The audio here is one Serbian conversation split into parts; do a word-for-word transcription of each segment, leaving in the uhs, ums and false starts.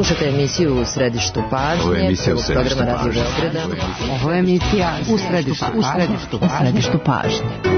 Slušajte emisiju U središtu pažnje. Ovo je emisija U središtu pažnje. Ovo je emisija U središtu pažnje. U središtu pažnje.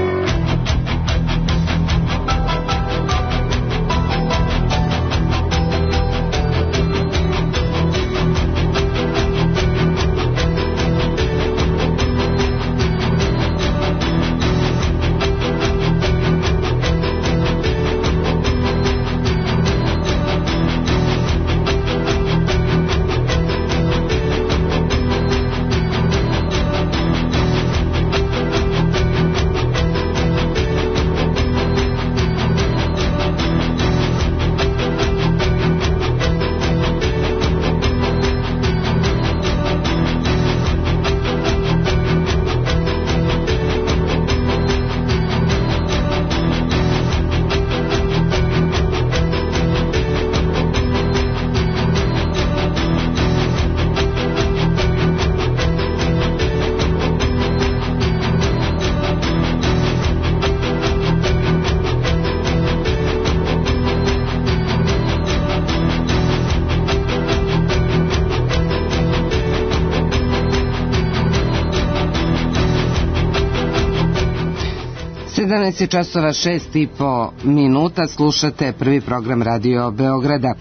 sedamnaest časova šest i po minuta, slušate prvi program Radio Beograda.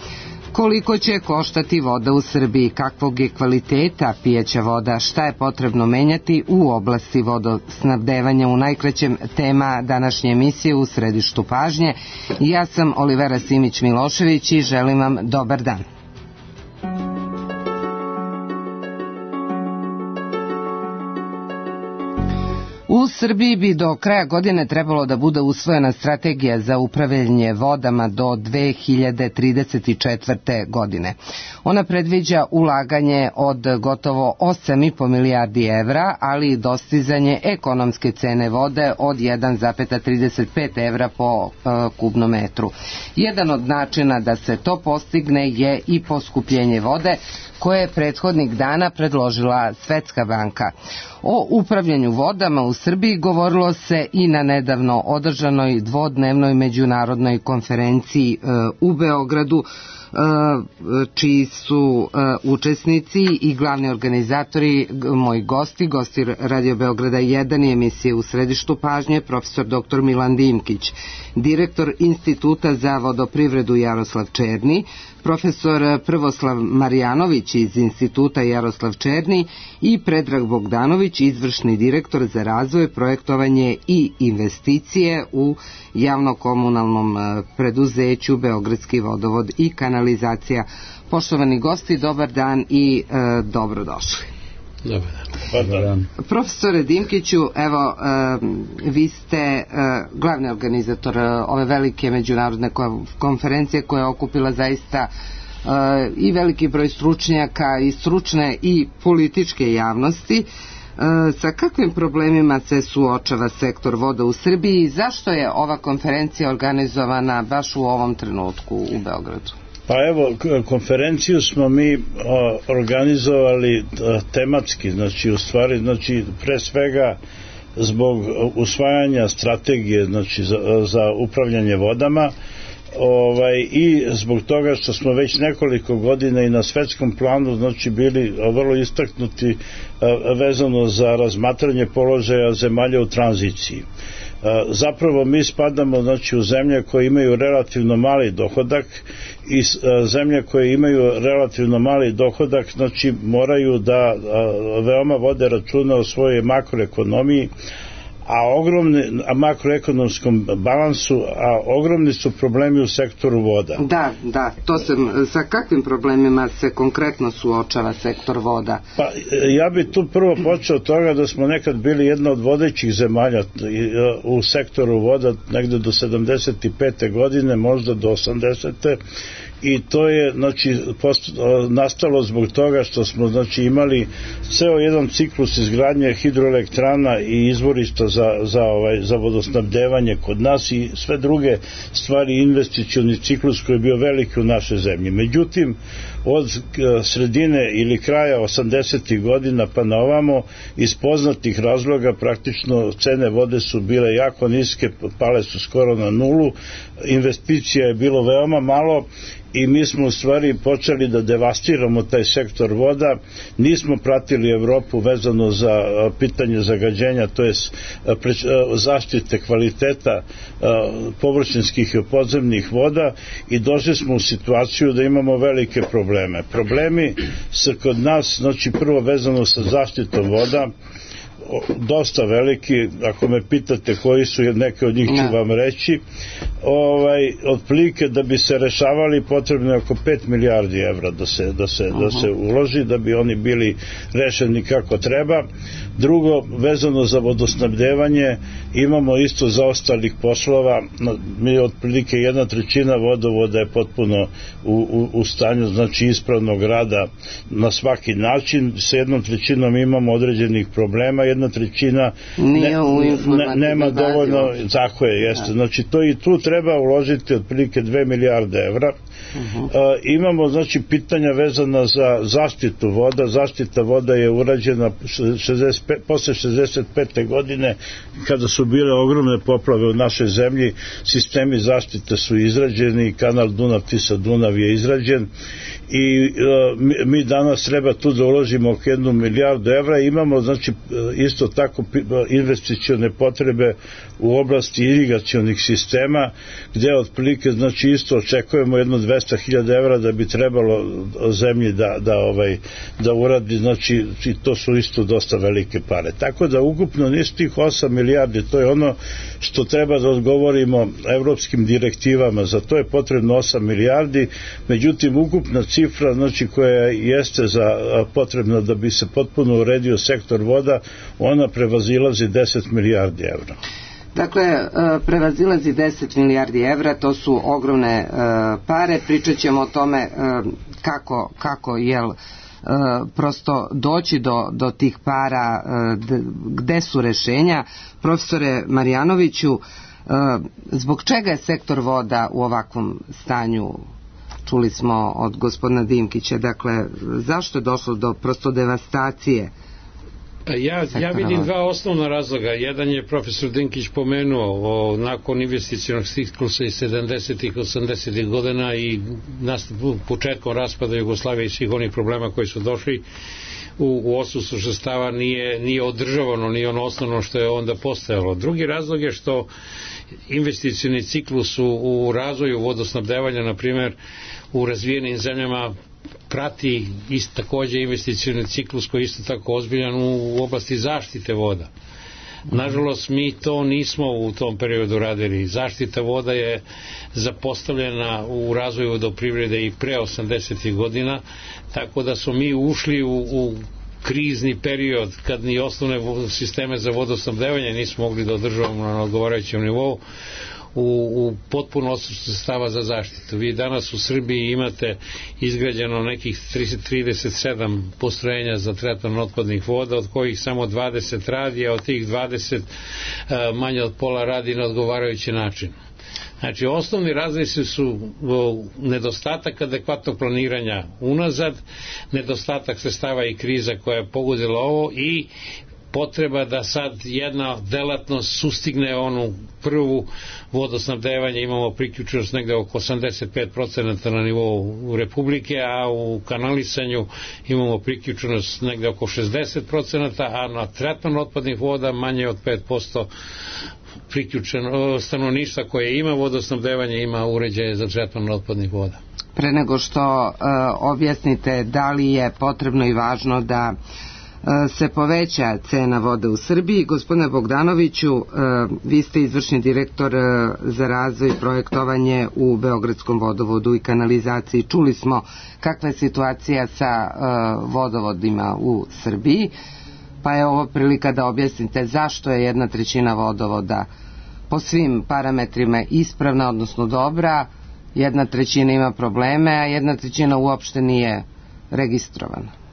Koliko će koštati voda u Srbiji, kakvog je kvaliteta pijeća voda, šta je potrebno menjati u oblasti vodosnabdevanja, u najkraćem tema današnje emisije U središtu pažnje. Ja sam Olivera Simić-Milošević i želim vam dobar dan. U Srbiji bi do kraja godine trebalo da bude usvojena strategija za upravljanje vodama do dve hiljade trideset četvrte. godine. Ona predviđa ulaganje od gotovo osam i po milijardi evra, ali i dostizanje ekonomske cene vode od jedan zarez trideset pet evra po e, kubnom metru. Jedan od načina da se to postigne je i poskupljenje vode, koje je prethodnih dana predložila Svetska banka. O upravljanju vodama u Srbiji govorilo se i na nedavno održanoj dvodnevnoj međunarodnoj konferenciji e, u Beogradu, čiji su učesnici i glavni organizatori moji gosti, gosti Radio Beograda jedan i emisije U središtu pažnje, profesor doktor Milan Dimkić, direktor Instituta za vodoprivredu Jaroslav Černi, profesor Prvoslav Marjanović iz Instituta Jaroslav Černi i Predrag Bogdanović, izvršni direktor za razvoj, projektovanje i investicije u javno-komunalnom preduzeću Beogradski vodovod i kanalizacija. Poštovani gosti, dobar dan i e, dobrodošli. Dobar dan. Dobar dan. Profesore Dimkiću, evo, e, vi ste e, glavni organizator e, ove velike međunarodne konferencije koja je okupila zaista e, i veliki broj stručnjaka i stručne i političke javnosti. E, sa kakvim problemima se suočava sektor voda u Srbiji i zašto je ova konferencija organizovana baš u ovom trenutku u Beogradu? Pa evo, konferenciju smo mi o, organizovali o, tematski, znači u stvari, znači pre svega zbog usvajanja strategije, znači za, za upravljanje vodama, ovaj, i zbog toga što smo već nekoliko godina i na svetskom planu, znači bili vrlo istaknuti a, vezano za razmatranje položaja zemalja u tranziciji. Zapravo mi spadamo, znači, u zemlje koje imaju relativno mali dohodak i zemlje koje imaju relativno mali dohodak, znači moraju da veoma vode računa o svojoj makroekonomiji, a ogromni, a makroekonomskom balansu, a ogromni su problemi u sektoru voda. Da, da, to sam, sa kakvim problemima se konkretno suočava sektor voda? Pa ja bih tu prvo počeo od toga da smo nekad bili jedna od vodećih zemalja u sektoru voda, negde do sedamdeset pete. godine, možda do osamdesete. I to je, znači, post, nastalo zbog toga što smo, znači, imali ceo jedan ciklus izgradnje hidroelektrana i izvorišta za, za, ovaj, za vodosnabdevanje kod nas i sve druge stvari, investicioni ciklus koji je bio veliki u našoj zemlji. Međutim, od sredine ili kraja osamdesetih godina pa na ovamo, iz poznatih razloga praktično cene vode su bile jako niske, pale su skoro na nulu, investicija je bilo veoma malo i mi smo u stvari počeli da devastiramo taj sektor voda. Nismo pratili Evropu vezano za pitanje zagađenja, to je zaštite kvaliteta površinskih i podzemnih voda, i došli smo u situaciju da imamo velike probleme. Problemi su kod nas, znači prvo vezano sa zaštitom voda, dosta veliki. Ako me pitate koji su, neke od njih ću vam reći. Ovaj, otprilike da bi se rešavali potrebno je oko pet milijardi evra da se, da se, da se uloži, da bi oni bili rešeni kako treba. Drugo, vezano za vodosnabdevanje, imamo isto zaostalih poslova. Mi otprilike jedna trećina vodovoda je potpuno u, u, u stanju, znači ispravnog rada na svaki način. Sa jednom trećinom imamo određenih problema, jedna trećina ne, ne, nema dovoljno, tako je, jeste. Znači to i tu treba uložiti otprilike dve milijarde evra. Uh-huh. Uh, imamo znači pitanja vezana za zaštitu voda. Zaštita voda je urađena šezdeset pet, posle šezdeset pete godine, kada su bile ogromne poplave u našoj zemlji. Sistemi zaštite su izrađeni, kanal Dunav-Tisa-Dunav je izrađen i uh, mi, mi danas treba tu da uložimo oko jednu milijardu evra. Imamo znači isto tako investicione potrebe u oblasti irigacionih sistema, gde otprilike znači isto očekujemo jedno dvesta hiljada evra da bi trebalo zemlji da, da, ovaj, da uradi, znači to su isto dosta velike pare. Tako da ukupno nisu tih osam milijardi, to je ono što treba da odgovorimo evropskim direktivama, za to je potrebno osam milijardi, međutim ukupna cifra znači koja jeste za potrebna da bi se potpuno uredio sektor voda, ona prevazilazi deset milijardi evra. Dakle, prevazilazi deset milijardi evra, to su ogromne pare. Pričat ćemo o tome kako, kako jel, prosto doći do, do tih para, gde su rešenja. Profesore Marjanoviću, zbog čega je sektor voda u ovakvom stanju? Čuli smo od gospodina Dimkića, dakle, zašto je došlo do prosto devastacije? Ja, ja vidim dva osnovna razloga. Jedan je profesor Dinkić pomenuo o, nakon investicionog ciklusa iz sedamdesetih, osamdesetih godina i nastup, početkom raspada Jugoslavije i svih onih problema koji su došli u, u odsustvu sredstava nije, nije održavano, nije ono osnovno što je onda postojalo. Drugi razlog je što investicioni ciklus u, u razvoju vodosnabdevanja, na primjer, u razvijenim zemljama prati isto takođe investicioni ciklus koji je isto tako ozbiljan u, u oblasti zaštite voda. Nažalost, mi to nismo u tom periodu radili. Zaštita voda je zapostavljena u razvoju vodoprivrede i pre osamdesetih godina, tako da smo mi ušli u, u krizni period kad ni osnovne sisteme za vodosnabdevanje nismo mogli da održavamo na odgovarajućem nivou, u, u potpuno odsustvo sredstava za zaštitu. Vi danas u Srbiji imate izgrađeno nekih trideset sedam postrojenja za tretman otpadnih voda, od kojih samo dvadeset radi, a od tih dvadeset manje od pola radi na odgovarajući način. Znači, osnovni razlici su nedostatak adekvatnog planiranja unazad, nedostatak sredstava i kriza koja je pogodila ovo i potreba da sad jedna delatnost sustigne onu prvu vodosnabdevanje. Imamo priključenost negde oko osamdeset pet procenata na nivou Republike, a u kanalisanju imamo priključenost negde oko šezdeset procenata, a na tretman otpadnih voda manje od pet posto priključeno stanovništva koje ima vodosnabdevanje ima uređaje za tretman otpadnih voda. Pre nego što uh, objasnite da li je potrebno i važno da se poveća cena vode u Srbiji. Gospodine Bogdanoviću, vi ste izvršni direktor za razvoj i projektovanje u Beogradskom vodovodu i kanalizaciji. Čuli smo kakva je situacija sa vodovodima u Srbiji, pa je ovo prilika da objasnite zašto je jedna trećina vodovoda po svim parametrima ispravna, odnosno dobra, jedna trećina ima probleme, a jedna trećina uopšte nije registrovana.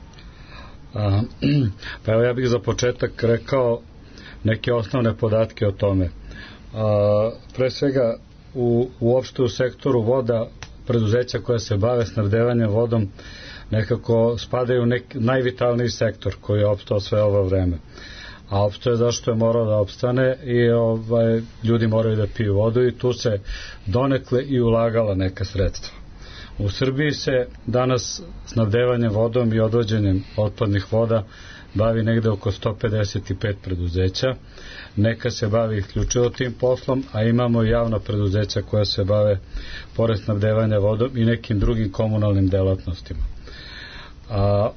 Pa evo, ja bih za početak rekao neke osnovne podatke o tome. Pre svega u, uopšte u sektoru voda preduzeća koja se bave snabdevanjem vodom nekako spadaju u nek, najvitalniji sektor koji je opstao sve ovo vreme. a opstoje zašto je morao da opstane i ovaj, ljudi moraju da piju vodu i tu se donekle i ulagala neka sredstva. U Srbiji se danas snabdevanjem vodom i odvođenjem otpadnih voda bavi negde oko sto pedeset pet preduzeća. Neka se bavi isključivo tim poslom, a imamo javna preduzeća koja se bave pored snabdevanja vodom i nekim drugim komunalnim delatnostima. A,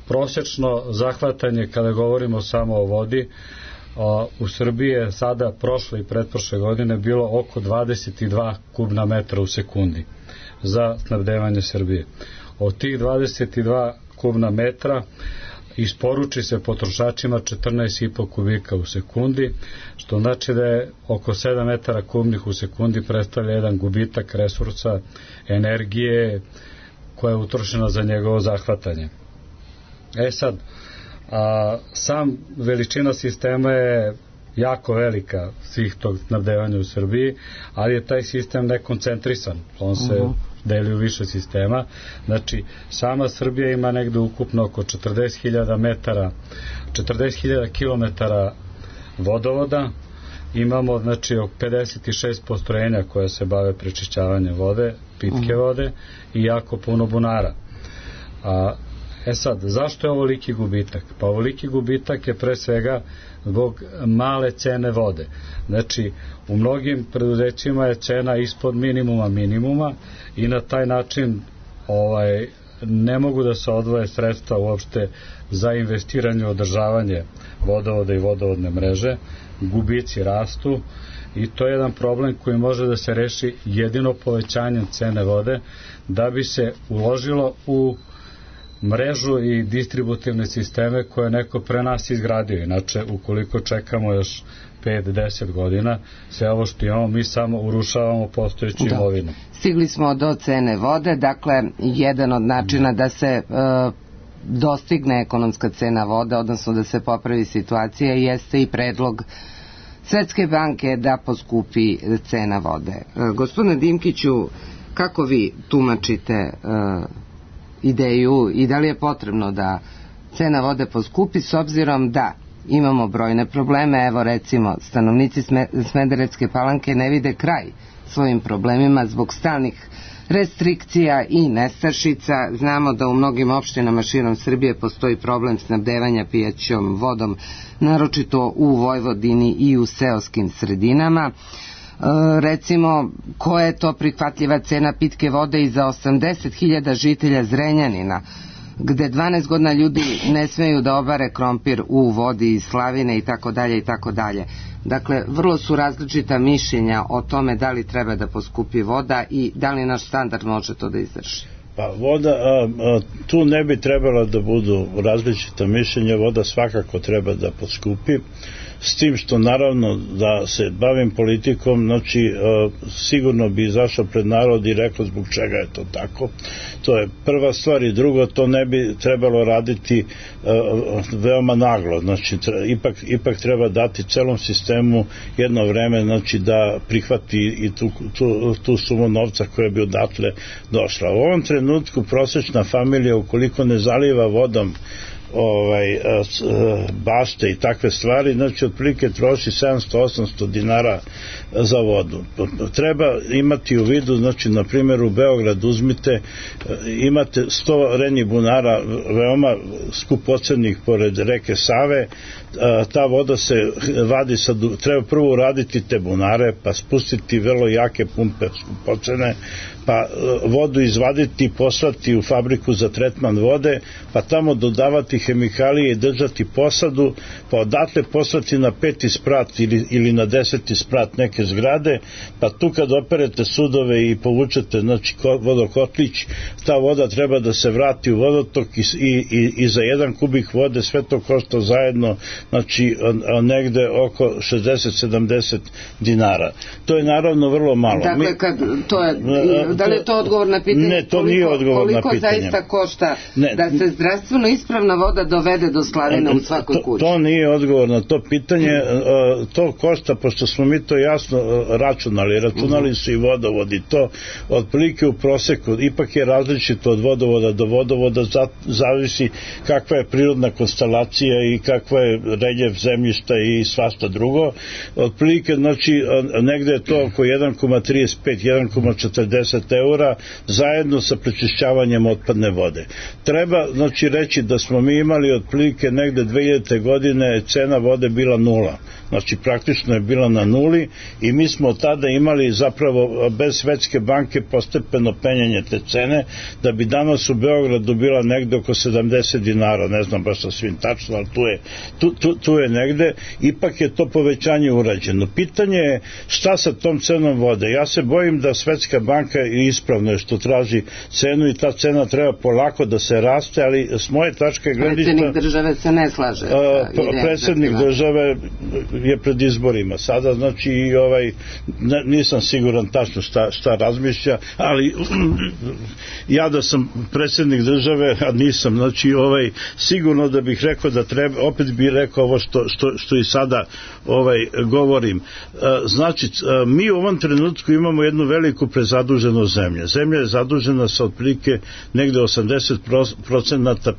prosječno zahvatanje, kada govorimo samo o vodi, a, u Srbiji je sada prošle i pretprošle godine bilo oko dvadeset dva kubna metra u sekundi za snabdevanje Srbije. Od tih dvadeset dva kubna metra isporuči se potrošačima četrnaest i po kubika u sekundi, što znači da je oko sedam metara kubnih u sekundi predstavlja jedan gubitak resursa, energije koja je utrošena za njegovo zahvatanje. E sad, a, sam veličina sistema je jako velika svih tog snabdevanja u Srbiji, ali je taj sistem nekoncentrisan. On se uh-huh. deli u više sistema. Znači, sama Srbija ima negde ukupno oko četrdeset hiljada metara, četrdeset hiljada kilometara vodovoda. Imamo, znači, oko pedeset šest postrojenja koja se bave prečišćavanjem vode, pitke vode i jako puno bunara. A, e sad, zašto je ovoliki gubitak? Pa ovoliki gubitak je pre svega zbog male cene vode. Znači, u mnogim preduzećima je cena ispod minimuma minimuma i na taj način ovaj, ne mogu da se odvoje sredstva uopšte za investiranje, održavanje vodovoda i vodovodne mreže, gubici rastu i to je jedan problem koji može da se reši jedino povećanjem cene vode da bi se uložilo u mrežu i distributivne sisteme koje neko pre nas izgradio. Inače, ukoliko čekamo još pet do deset godina, sve ovo što imamo, mi samo urušavamo postojeću da. imovinu. Stigli smo do cene vode, dakle, jedan od načina da se e, dostigne ekonomska cena vode, odnosno da se popravi situacija, jeste i predlog Svetske banke da poskupi cena vode. E, gospodine Dimkiću, kako vi tumačite e, ideju i da li je potrebno da cena vode poskupi s obzirom da imamo brojne probleme? Evo recimo, stanovnici Smederevske Palanke ne vide kraj svojim problemima zbog stalnih restrikcija i nestašica. Znamo da u mnogim opštinama širom Srbije postoji problem snabdevanja pijaćom vodom, naročito u Vojvodini i u seoskim sredinama. E, recimo, koja je to prihvatljiva cena pitke vode i za osamdeset hiljada žitelja Zrenjanina, gde dvanaest godina ljudi ne smeju da obare krompir u vodi iz slavine i tako dalje i tako dalje. Dakle, vrlo su različita mišljenja o tome da li treba da poskupi voda i da li naš standard može to da izdrži. Pa voda, a, a, tu ne bi trebala da budu različita mišljenja, voda svakako treba da poskupi, s tim što naravno da se bavim politikom, znači a, sigurno bi izašao pred narod i rekao zbog čega je to tako. To je prva stvar, i drugo, to ne bi trebalo raditi a, veoma naglo, znači tre, ipak, ipak treba dati celom sistemu jedno vreme, znači da prihvati i tu, tu, tu sumu novca koja bi odatle došla. U ovom trenutku prosečna familija, ukoliko ne zaliva vodom ovaj, bašte i takve stvari, znači otprilike troši sedamsto do osamsto dinara za vodu. Treba imati u vidu, znači na primjer u Beogradu uzmite, imate sto renjih bunara veoma skupocenih pored reke Save, ta voda se vadi, sad, treba prvo uraditi te bunare, pa spustiti vrlo jake pumpe skupocene, pa vodu izvaditi i poslati u fabriku za tretman vode, pa tamo dodavati hemikalije i držati posadu, pa odatle poslati na peti sprat ili, ili na deseti sprat neke zgrade, pa tu kad operete sudove i povučete, znači, vodokotlić, ta voda treba da se vrati u vodotok i, i, i za jedan kubik vode sve to košta zajedno, znači negde oko šezdeset do sedamdeset dinara. To je naravno vrlo malo. Dakle, kad to je, da li je to odgovor na pitanje? Ne, to koliko, nije odgovor na pitanje. Koliko zaista košta ne, da se zdravstveno ispravna voda dovede do slavine u svakoj kući? To, to nije odgovor na to pitanje. To košta, pošto smo mi to jasno računali, računali su i vodovodi. To otprilike u proseku, ipak je različito od vodovoda do vodovoda, zavisi kakva je prirodna konstelacija i kakva je reljef zemljišta i svašta drugo. Otprilike, znači, negde je to oko jedan zarez trideset pet, jedan zarez četrdeset eura zajedno sa prečišćavanjem otpadne vode. Treba, znači, reći da smo mi imali otprilike negde dve hiljadite. godine cena vode bila nula. Znači, praktično je bila na nuli i mi smo od tada imali zapravo bez Svetske banke postepeno penjanje te cene, da bi danas u Beogradu bila negde oko sedamdeset dinara, ne znam baš sa svim tačno, ali tu je, tu, tu, tu je negde, ipak je to povećanje urađeno. Pitanje je šta sa tom cenom vode. Ja se bojim da Svetska banka je ispravno što traži cenu i ta cena treba polako da se raste, ali s moje tačke gledišta... Predsjednik države se ne slaže. Predsjednik države je pred izborima sada, znači i ovaj, nisam siguran tačno šta, šta razmišlja, ali ja da sam predsjednik države, a nisam, znači ovaj, sigurno da bih rekao da treba, opet bih rekao ovo što, što, što i sada ovaj, govorim. Znači, mi u ovom trenutku imamo jednu veliku prezaduženost zemlje. Zemlja je zadužena sa otprilike negde osamdeset procenata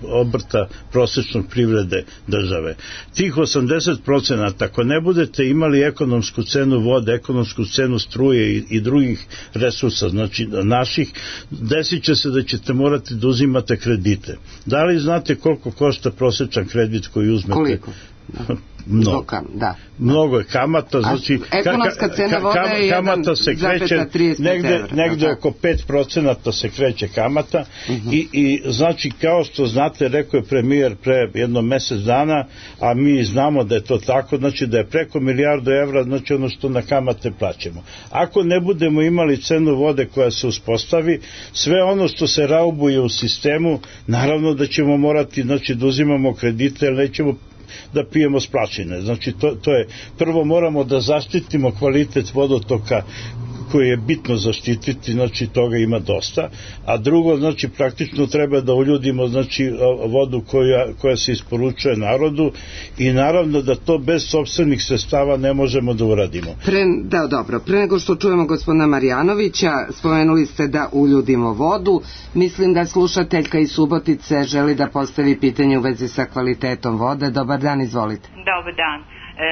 obrta prosečnog privrede države. Tih osamdeset procenata ako ne budete imali ekonomsku cenu vode, ekonomsku cenu struje i, i drugih resursa, znači naših, desit će se da ćete morati da uzimate kredite. Da li znate koliko košta prosječan kredit koji uzmete? Koliko? Da. Mnogo. Da. Mnogo je kamata, znači ekonomska cena vode je kamata se kreće negde, negde oko pet procenata se kreće kamata uh-huh. i, i znači kao što znate, rekao je premijer pre jedno mesec dana, a mi znamo da je to tako, znači da je preko milijardu evra, znači ono što na kamate plaćamo. Ako ne budemo imali cenu vode koja se uspostavi, sve ono što se raubuje u sistemu, naravno da ćemo morati, znači da uzimamo kredite, ali nećemo da pijemo s plačine. Znači to, to je, prvo moramo da zaštitimo kvalitet vodotoka koji je bitno zaštititi, znači toga ima dosta, a drugo, znači praktično treba da uljudimo, znači vodu koja, koja se isporučuje narodu i naravno da to bez sopstvenih sredstava ne možemo da uradimo. Pre, da, dobro, pre nego što čujemo gospodina Marjanovića, spomenuli ste da uljudimo vodu, mislim da slušateljka iz Subotice želi da postavi pitanje u vezi sa kvalitetom vode. Dobar dan, izvolite. Dobar dan. E,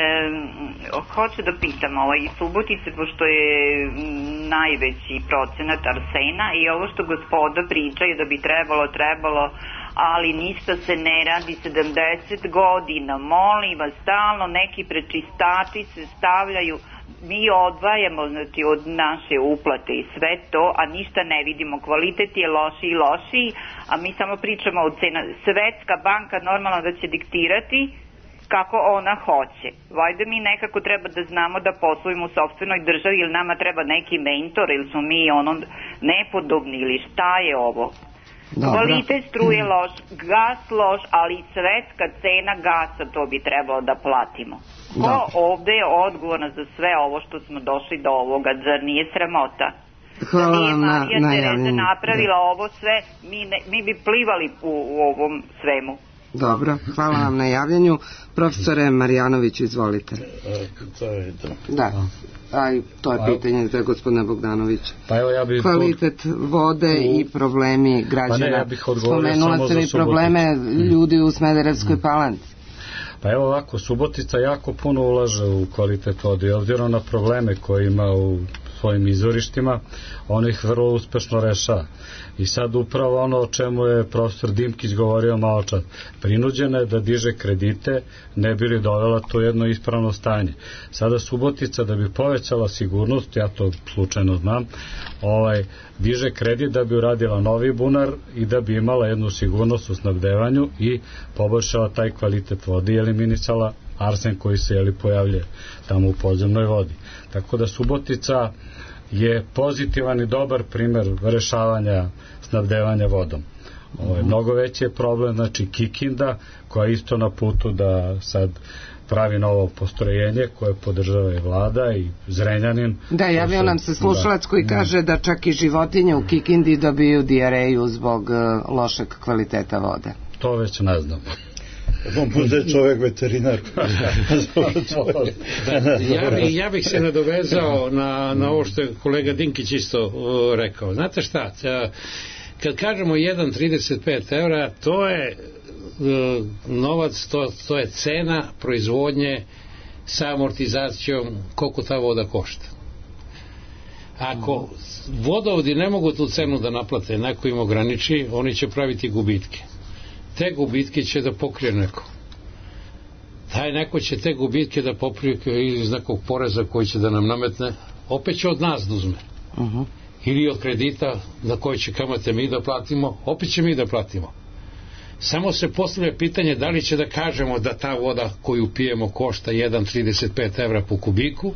hoću da pitam ovaj, iz Subotice, pošto je najveći procenat arsena i ovo što gospoda pričaju da bi trebalo, trebalo, ali ništa se ne radi sedamdeset godina, molim vas, stalno neki prečistači se stavljaju, mi odvajamo, znači, od naše uplate i sve to, a ništa ne vidimo, kvalitet je lošiji i lošiji, a mi samo pričamo o cena. Svetska banka normalno da će diktirati kako ona hoće. Vajde mi nekako treba da znamo da poslujemo u sopstvenoj državi, ili nama treba neki mentor, ili smo mi ono nepodobni, ili šta je ovo? Dobro. Kvalitet struje loš, gas loš, ali svetska cena gasa, to bi trebalo da platimo. Ko Dobro. ovde je odgovorna za sve ovo što smo došli do ovoga? Zar nije sramota? Hvala vam na Marija Tereza napravila da. ovo sve, mi, ne, mi bi plivali u, u ovom svemu. Dobro, hvala vam na javljanju. Profesore Marjanović, izvolite. Da, a to je pitanje za gospodina Bogdanovića. Pa evo ja bih... Kvalitet vode u... i problemi građana. Pa ne, ja bih spomenula sam i probleme ljudi u Smederevskoj Palanci. Pa evo ovako, Subotica jako puno ulaže u kvalitet vode i obzirom na probleme koje ima u svojim izvorištima, on ih vrlo uspešno rešava. I sad upravo ono o čemu je profesor Dimkić govorio malo čas, prinuđena je da diže kredite, ne bi li dovela to jedno ispravno stanje. Sada Subotica, da bi povećala sigurnost, ja to slučajno znam, ovaj, diže kredit da bi uradila novi bunar i da bi imala jednu sigurnost u snabdevanju i poboljšala taj kvalitet vode i eliminisala arsen koji se jeli pojavljuje tamo u podzemnoj vodi. Tako da Subotica je pozitivan i dobar primer rešavanja snabdevanja vodom. Ovo je mnogo veći problem, znači Kikinda, koja je isto na putu da sad pravi novo postrojenje koje podržava i vlada i Zrenjanin. Da, javio nam se slušalac koji kaže da čak i životinje u Kikindi dobiju dijareju zbog uh, lošeg kvaliteta vode. To već ne znam. On bude čovek veterinar. da, ja, ja bih se nadovezao na, na ovo što je kolega Dinkić isto uh, rekao. Znate šta, kad kažemo jedan zarez trideset pet evra, to je novac, to, to je cena proizvodnje sa amortizacijom koliko ta voda košta. Ako vodovodi ne mogu tu cenu da naplate, neko im ograniči, oni će praviti gubitke. Te gubitke će da pokrije neko. Taj neko će te gubitke da pokrije iz nekog poreza koji će da nam nametne, opet će od nas da uzme. Uh-huh. Ili od kredita na koje će kamate mi da platimo, opet će mi da platimo. Samo se postavlja pitanje da li će da kažemo da ta voda koju pijemo košta jedan zarez trideset pet evra po kubiku,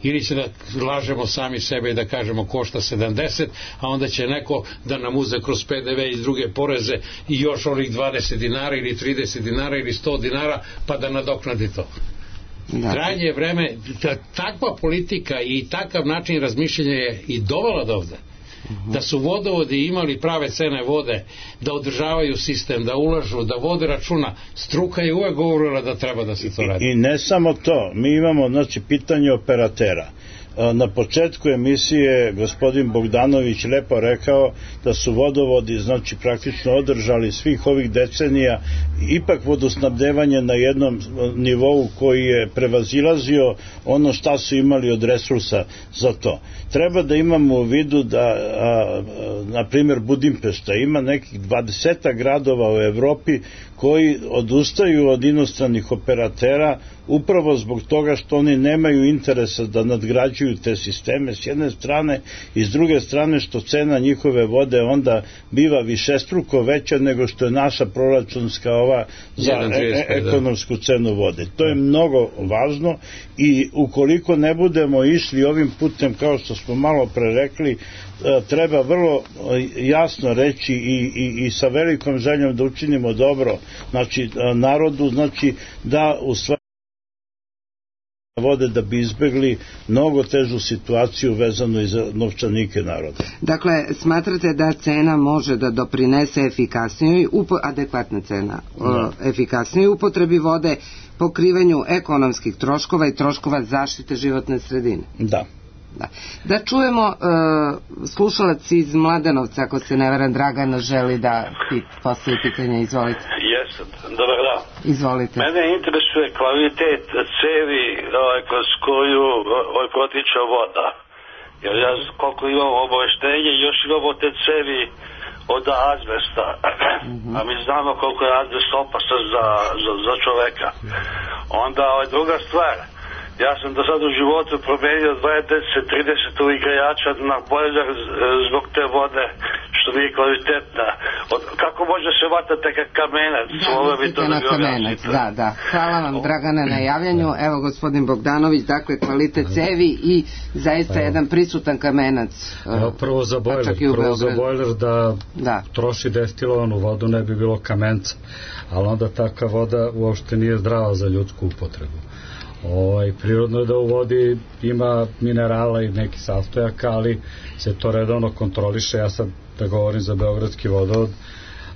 ili će da lažemo sami sebe i da kažemo košta sedamdeset, a onda će neko da nam uze kroz P D V i druge poreze i još onih dvadeset dinara ili trideset dinara ili sto dinara pa da nadoknadi to. Da. Krajnje je vreme, takva politika i takav način razmišljanja je i dovela do ovde. Uh-huh. Da su vodovodi imali prave cene vode, da održavaju sistem, da ulažu, da vode računa. Struka je uvek govorila da treba da se to radi. I, i ne samo to, mi imamo znači pitanje operatera. Na početku emisije gospodin Bogdanović lepo rekao da su vodovodi znači praktično održali svih ovih decenija ipak vodosnabdevanje na jednom nivou koji je prevazilazio ono šta su imali od resursa za to. Treba da imamo u vidu da a, na primjer Budimpešta ima nekih dvadeset gradova u Evropi koji odustaju od inostranih operatera upravo zbog toga što oni nemaju interesa da nadgrađuju te sisteme s jedne strane i s druge strane što cena njihove vode onda biva višestruko veća nego što je naša proračunska ova za e ekonomsku cenu vode. To je mnogo važno i ukoliko ne budemo išli ovim putem kao što smo malo pre rekli, treba vrlo jasno reći i, i, i sa velikom željom da učinimo dobro znači narodu, znači da u stvari vode da bi izbegli mnogo težu situaciju vezanu i za novčanike naroda. Dakle, smatrate da cena može da doprinese efikasnijoj, adekvatna cena, da. efikasnijoj upotrebi vode, pokrivanju ekonomskih troškova i troškova zaštite životne sredine? Da. Da, da čujemo uh, slušalac iz Mladenovca, ako se ne varam, Dragana želi da pit, postavi pitanje, izvolite. Jesam, dobar dan. Izvolite. Mene interesuje kvalitet cevi ovaj, kroz koju ovaj, protiče voda. Jer ja koliko imam obaveštenje, još imamo te cevi od azbesta. Mm-hmm. A mi znamo koliko je azbest opasan za, za, za čoveka. Onda ovaj, druga stvar, ja sam do sad u životu promenio dvadeset do trideset ovih grejača na bojler zbog te vode što nije kvalitetna. Od, kako može se vatati takav kamenac? Da, mislite na kamenac, da, da. Hvala vam, Dragane, na javljanju. Evo, gospodin Bogdanović, dakle, kvalitet cevi i zaista jedan prisutan kamenac. Evo, prvo za bojler, prvo za bojler da, da troši destilovanu vodu ne bi bilo kamenca, ali onda takva voda uopšte nije zdrava za ljudsku upotrebu. Ovaj, prirodno je da u vodi ima minerala i neki sastojaka, ali se to redovno kontroliše. Ja sad da govorim za Beogradski vodovod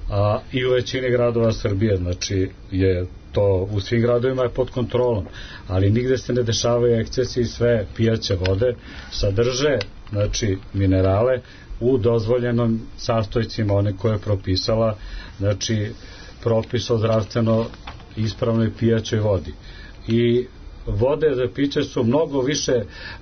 a, i u većini gradova Srbije, znači je to u svim gradovima je pod kontrolom, ali nigde se ne dešavaju ekscesi i sve pijaće vode sadrže znači minerale u dozvoljenom sastojcima one koje je propisala znači propis o zdravstveno ispravnoj pijaćoj vodi. I vode za piće su mnogo više,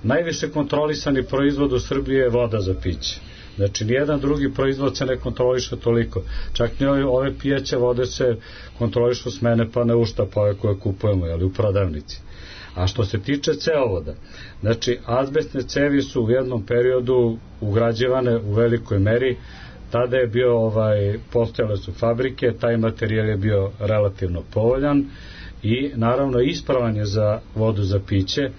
najviše kontrolisani proizvod u Srbiji je voda za piće. Znači, nijedan drugi proizvod se ne kontroliše toliko. Čak ni ove, ove pijeće vode se kontrolišu s mene pa ne uštapa ove koje kupujemo, jeli, u prodavnici. A što se tiče cevovoda, znači, azbestne cevi su u jednom periodu ugrađivane u velikoj meri. Tada je bio, ovaj, postojale su fabrike, taj materijal je bio relativno povoljan i naravno ispravan je za vodu za piće.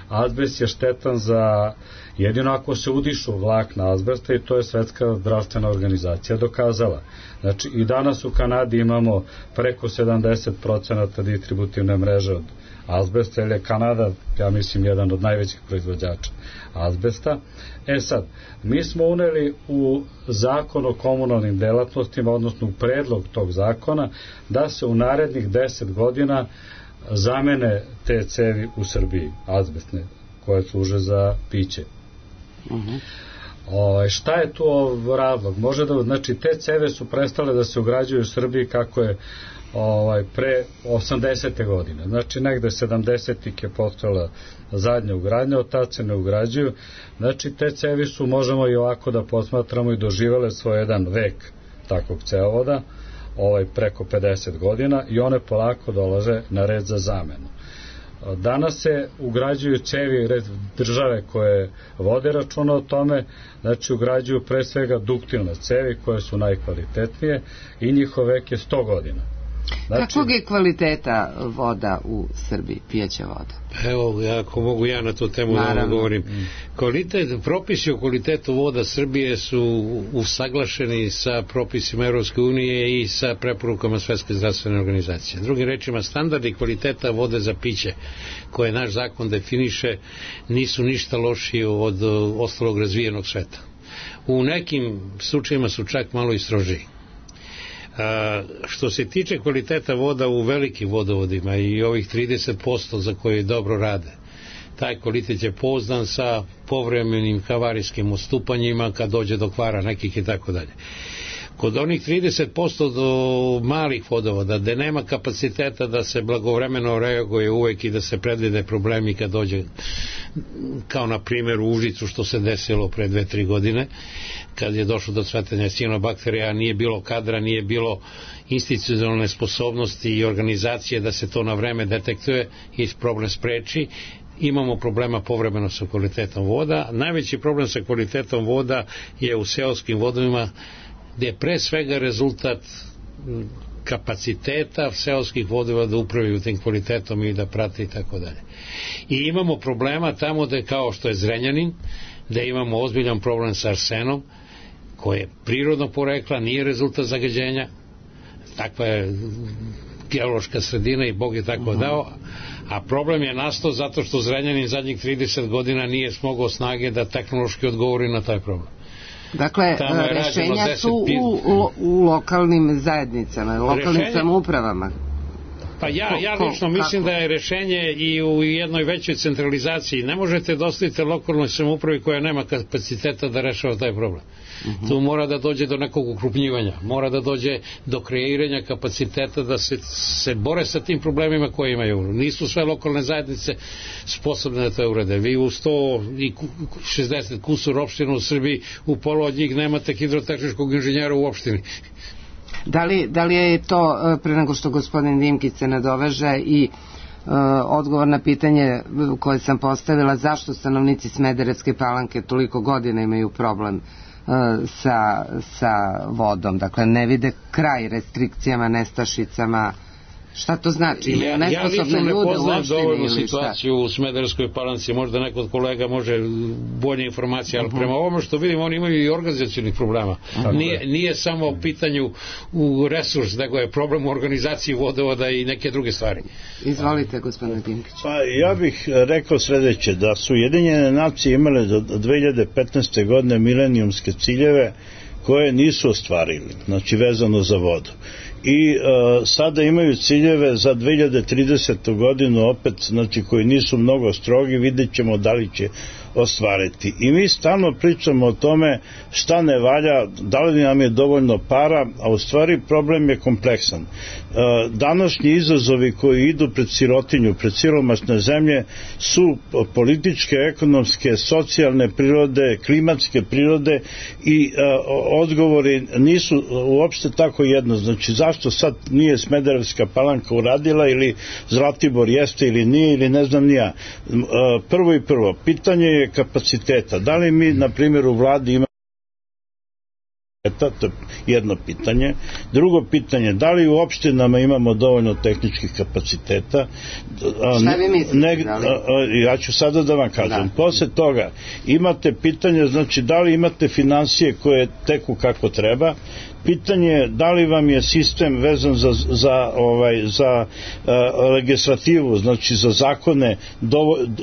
Azbest je štetan za jedino ako se udišu vlakna azbesta i to je Svetska zdravstvena organizacija dokazala. Znači i danas u Kanadi imamo preko sedamdeset procenata distributivne mreže od azbesta, jer je Kanada, ja mislim, jedan od najvećih proizvođača azbesta. E sad, mi smo uneli u zakon o komunalnim delatnostima, odnosno u predlog tog zakona, da se u narednih deset godina zamene te cevi u Srbiji, azbestne, koje služe za piće. Uh-huh. O, šta je tu razlog? Može da, znači, te ceve su prestale da se ugrađuju u Srbiji kako je ovaj, pre osamdesete godine. Znači, negde sedamdesetih je postojala zadnja ugradnja, od tad se ne ugrađuju. Znači, te cevi su, možemo i ovako da posmatramo, i doživele svoj jedan vek takvog cevovoda, ovaj, preko pedeset godina, i one polako dolaze na red za zamenu. Danas se ugrađuju cevi države koje vode računa o tome, znači ugrađuju pre svega duktilne cevi koje su najkvalitetnije i njihov vek je sto godina. Znači, kakvog je kvaliteta voda u Srbiji, pijeća voda? Evo, ako mogu ja na tu temu da vam govorim. Kvalitet, propisi o kvalitetu voda Srbije su usaglašeni sa propisima Evropske unije i sa preporukama Svetske zdravstvene organizacije. Drugim rečima, standardi kvaliteta vode za piće koje naš zakon definiše nisu ništa lošiji od ostalog razvijenog sveta. U nekim slučajima su čak malo i strožiji. A, što se tiče kvaliteta voda u velikim vodovodima i ovih trideset posto za koje dobro rade, taj kvalitet je pouzdan sa povremenim havarijskim odstupanjima kad dođe do kvara nekih i tako dalje. Kod onih trideset posto do malih vodovoda, gde nema kapaciteta da se blagovremeno reaguje uvek i da se predvide problemi kad dođe, kao na primjer u Užicu što se desilo pre dve, tri godine, kad je došlo do cvetanja cijanobakterija, nije bilo kadra, nije bilo institucionalne sposobnosti i organizacije da se to na vreme detektuje i problem spreči. Imamo problema povremeno sa kvalitetom voda. Najveći problem sa kvalitetom voda je u seoskim vodovima, gde je pre svega rezultat kapaciteta seoskih vodova da upravljaju tim kvalitetom i da prate i tako dalje. I imamo problema tamo gde, kao što je Zrenjanin, gde imamo ozbiljan problem sa arsenom, koji je prirodno porekla, nije rezultat zagađenja, takva je geološka sredina i Bog je tako dao, a problem je nastao zato što Zrenjanin zadnjih trideset godina nije smogao snage da tehnološki odgovori na taj problem. Dakle, rešenja su u, u lokalnim zajednicama, lokalnim rešenje, samoupravama. Pa ja, ja lično mislim da je rešenje i u jednoj većoj centralizaciji. Ne možete da ostavite lokalnoj samoupravi koja nema kapaciteta da rešava taj problem. Uh-huh. Tu mora da dođe do nekog ukrupnjivanja, mora da dođe do kreiranja kapaciteta da se, se bore sa tim problemima koje imaju. Nisu sve lokalne zajednice sposobne da to urade. Vi u sto šezdeset kusur opština u Srbiji, u pola od njih nemate hidrotehničkog inženjera u opštini. Da li, da li je to, pre nego što gospodin Dimkić se nadoveže, i uh, odgovor na pitanje koje sam postavila, zašto stanovnici Smederevske Palanke toliko godina imaju problem uh, sa, sa vodom, dakle ne vide kraj restrikcijama, nestašicama, šta to znači? Ja, ja lično ne poznajem dovoljnu situaciju u Smederevskoj Palanci, možda neko od kolega može bolje informacije, ali uh-huh. prema ovome što vidim, oni imaju i organizacionih problema. Uh-huh. Nije, nije samo u pitanju u resurs, nego je problem u organizaciji vodovoda i neke druge stvari. Izvolite, gospodine Dimkić. Pa ja bih rekao sledeće, da su Ujedinjene nacije imale do dve hiljade petnaeste. godine milenijumske ciljeve koje nisu ostvarili, znači vezano za vodu. I uh, sada imaju ciljeve za dve hiljade tridesetu. godinu opet, znači koji nisu mnogo strogi, vidjet ćemo da li će ostvariti. I mi stalno pričamo o tome šta ne valja, da li nam je dovoljno para, a u stvari problem je kompleksan. Današnji izazovi koji idu pred sirotinju, pred siromašne zemlje su političke, ekonomske, socijalne prirode, klimatske prirode i odgovori nisu uopšte tako jedno. Znači zašto sad nije Smederevska Palanka uradila ili Zlatibor jeste ili nije ili ne znam ni ja. Prvo i prvo, pitanje je kapaciteta. Da li mi, na primjer, u vladi imamo to je jedno pitanje. Drugo pitanje, da li u opštinama imamo dovoljno tehničkih kapaciteta? Šta vi mislite? Ne, ja ću sada da vam kažem. Da. Posle toga imate pitanje, znači da li imate finansije koje teku kako treba. Pitanje je da li vam je sistem vezan za, za, ovaj, za uh, legislativu, znači za zakone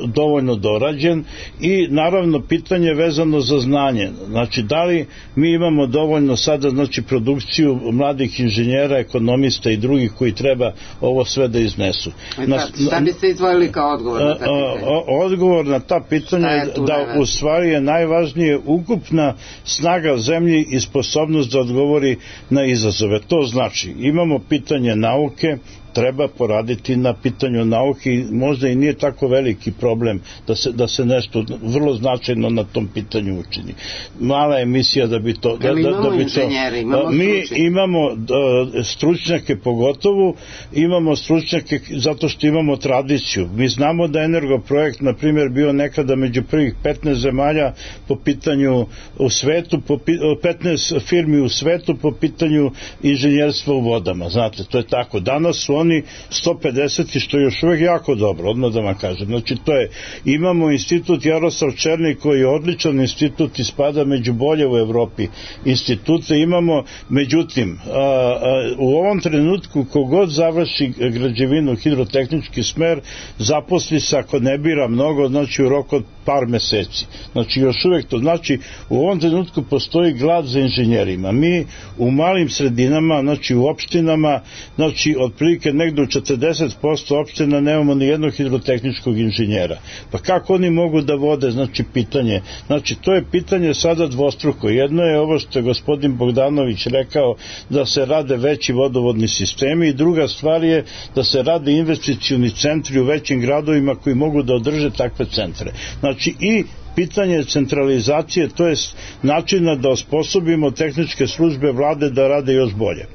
dovoljno dorađen, i naravno pitanje vezano za znanje. Znači da li mi imamo dovoljno dovoljno sada, znači, produkciju mladih inženjera, ekonomista i drugih koji treba ovo sve da iznesu. Na, šta biste izdvojili kao odgovor na ta pitanja? Odgovor na ta pitanja je da u stvari je najvažnije ukupna snaga zemlji i sposobnost da odgovori na izazove. To znači, imamo pitanje nauke, treba poraditi na pitanju nauke i možda i nije tako veliki problem da se, da se nešto vrlo značajno na tom pitanju učini. Mala emisija da bi to... Da, da, da bi to imamo mi imamo da, stručnjake pogotovo, imamo stručnjake zato što imamo tradiciju. Mi znamo da Energoprojekt, na primjer, bio nekada među prvih petnaest zemalja po pitanju u svetu, po, petnaest firmi u svetu po pitanju inženjerstva u vodama. Znate, to je tako. Danas su oni sto pedeset, što je još uvijek jako dobro, odmah da vam kažem. Znači, to je, imamo institut Jaroslav Černi koji je odličan institut i spada među bolje u Evropi institute. Imamo, međutim, a, a, u ovom trenutku kogod završi građevinu, hidrotehnički smer, zaposli se, ako ne bira mnogo, znači u roku od par meseci. Znači, još uvijek to. Znači, u ovom trenutku postoji glad za inženjerima. Mi u malim sredinama, znači u opštinama, znači, otprilike negde u četrdeset posto opština nemamo ni jednog hidrotehničkog inženjera. Pa kako oni mogu da vode, znači, pitanje? Znači, to je pitanje sada dvostruko. Jedno je ovo što je gospodin Bogdanović rekao, da se rade veći vodovodni sistemi, i druga stvar je da se rade investicioni centri u većim gradovima koji mogu da održe takve centre. Znači, i pitanje centralizacije, to je načina da osposobimo tehničke službe vlade da rade još bolje.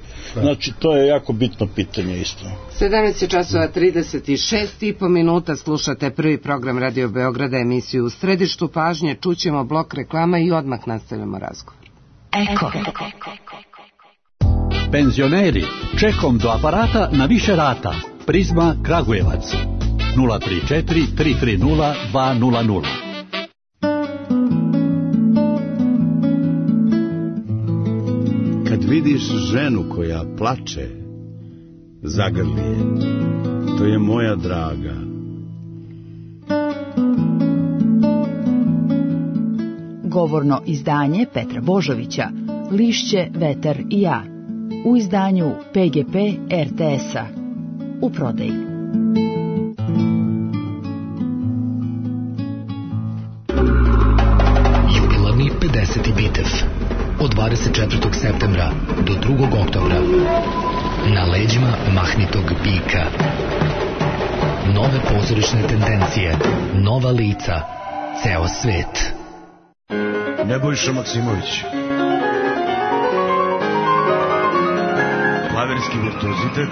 Znači, to je jako bitno pitanje isto. sedamnaest časova trideset šest i po minuta, slušate prvi program Radio Beograda, emisiju U središtu pažnje, čućemo blok reklama i odmah nastavljamo razgovor. Eko. Penzioneri, čekom do aparata na više rata. Prizma Kragujevac. nula tri četiri tri tri nula dva nula nula. Kad vidiš ženu koja plače, zagrli je. To je moja draga. Govorno izdanje Petra Božovića, Lišće, vetar i ja. U izdanju P G P R T S-a. U prodaji. Jubilarni pedeseti Bitev. Od dvadeset četvrtog septembra do drugog oktobra. Na leđima mahnitog bika. Nove pozorišne tendencije, nova lica, ceo svet. Nebojša Maksimović. Klavirski virtuozitet.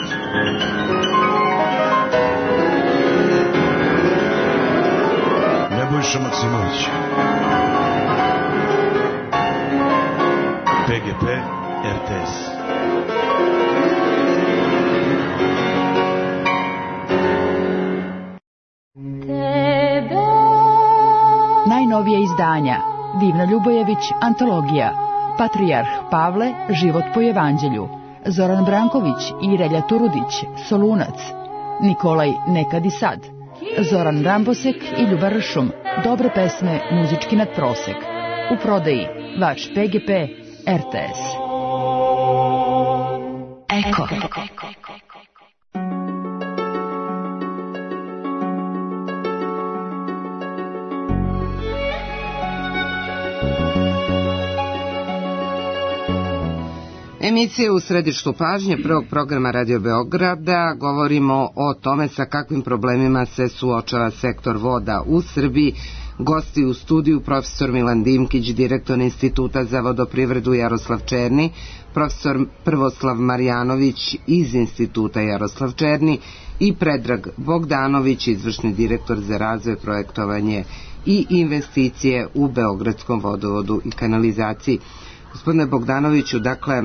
Nebojša Maksimović. P G P R T S. Najnovije izdanja: Divna Ljubojević, antologija, Patrijarh Pavle, život po evanđelju, Zoran Branković i Relja Turudić, Solunac, Nikolaj Nekad i sad, Zoran Rambosek i Ljuba Ršum, dobre pesme, muzički nadprosek. U prodaji vaš P G P R T S. Eko. Emisije U središtu pažnje prvog programa Radio Beograda. Govorimo o tome sa kakvim problemima se suočava sektor voda u Srbiji. Gosti u studiju profesor Milan Dimkić, direktor Instituta za vodoprivredu Jaroslav Černi, profesor Prvoslav Marjanović iz Instituta Jaroslav Černi i Predrag Bogdanović, izvršni direktor za razvoj, projektovanje i investicije u Beogradskom vodovodu i kanalizaciji. Gospodine Bogdanoviću, dakle,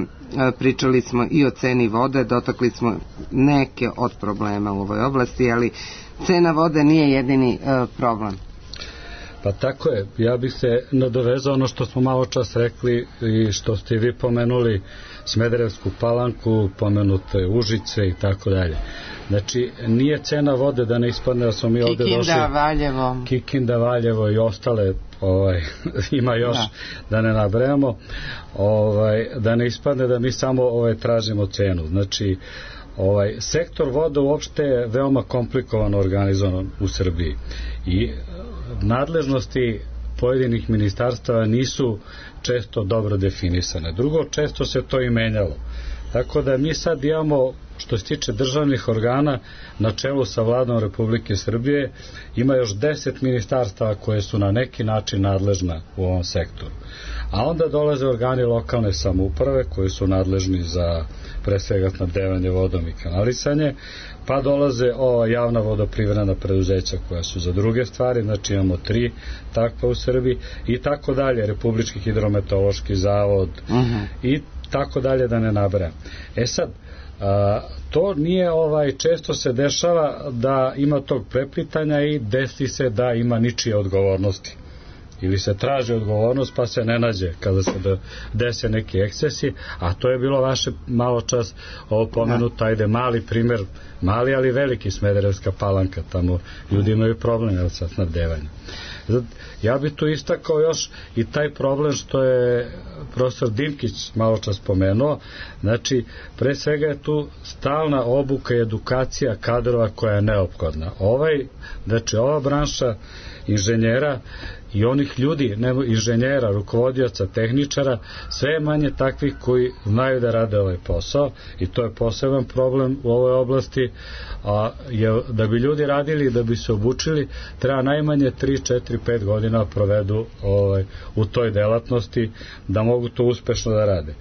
pričali smo i o ceni vode, dotakli smo neke od problema u ovoj oblasti, ali cena vode nije jedini problem. Pa tako je, ja bih se nadovezao ono što smo malo čas rekli i što ste vi pomenuli, Smederevsku Palanku, pomenute Užice i tako dalje. Znači, nije cena vode da ne ispadne da smo mi ovde došli. Kikinda, Valjevo. Kikinda, Valjevo i ostale, ovaj, ima još da, da ne nabrajamo, ovaj, da ne ispadne da mi samo ovaj, tražimo cenu. Znači, ovaj, sektor voda uopšte je veoma komplikovano organizovan u Srbiji i nadležnosti pojedinih ministarstava nisu često dobro definisane. Drugo, često se to i menjalo. Tako da mi sad imamo, što se tiče državnih organa, na čelu sa vladom Republike Srbije, ima još deset ministarstava koje su na neki način nadležna u ovom sektoru. A onda dolaze organi lokalne samouprave koji su nadležni za pre svega snabdevanje vodom i kanalisanje, pa dolaze ova javna vodoprivredna preduzeća koja su za druge stvari, znači imamo tri takva u Srbiji i tako dalje, Republički hidrometeorološki zavod uh-huh. i tako dalje da ne nabrajam. E sad, a, to nije, ovaj, često se dešava da ima tog preplitanja i desi se da ima ničije odgovornosti. Ili se traži odgovornost pa se ne nađe kada se dese neki ekscesi, a to je bilo vaše malo čas ovo pomenuto, ajde mali primjer, mali ali veliki Smederevska Palanka, tamo ljudi imaju problem sa snabdevanjem. Ja bih tu istakao još i taj problem što je profesor Dimkić malo čas spomenuo, znači pre svega je tu stalna obuka i edukacija kadrova koja je neophodna. Ovaj, znači ova branša inženjera i onih ljudi, ne, inženjera, rukovodioca, tehničara, sve je manje takvih koji znaju da rade ovaj posao i to je poseban problem u ovoj oblasti, a je, da bi ljudi radili, da bi se obučili, treba najmanje tri, četiri, pet godina provedu ovaj, u toj delatnosti da mogu to uspešno da rade.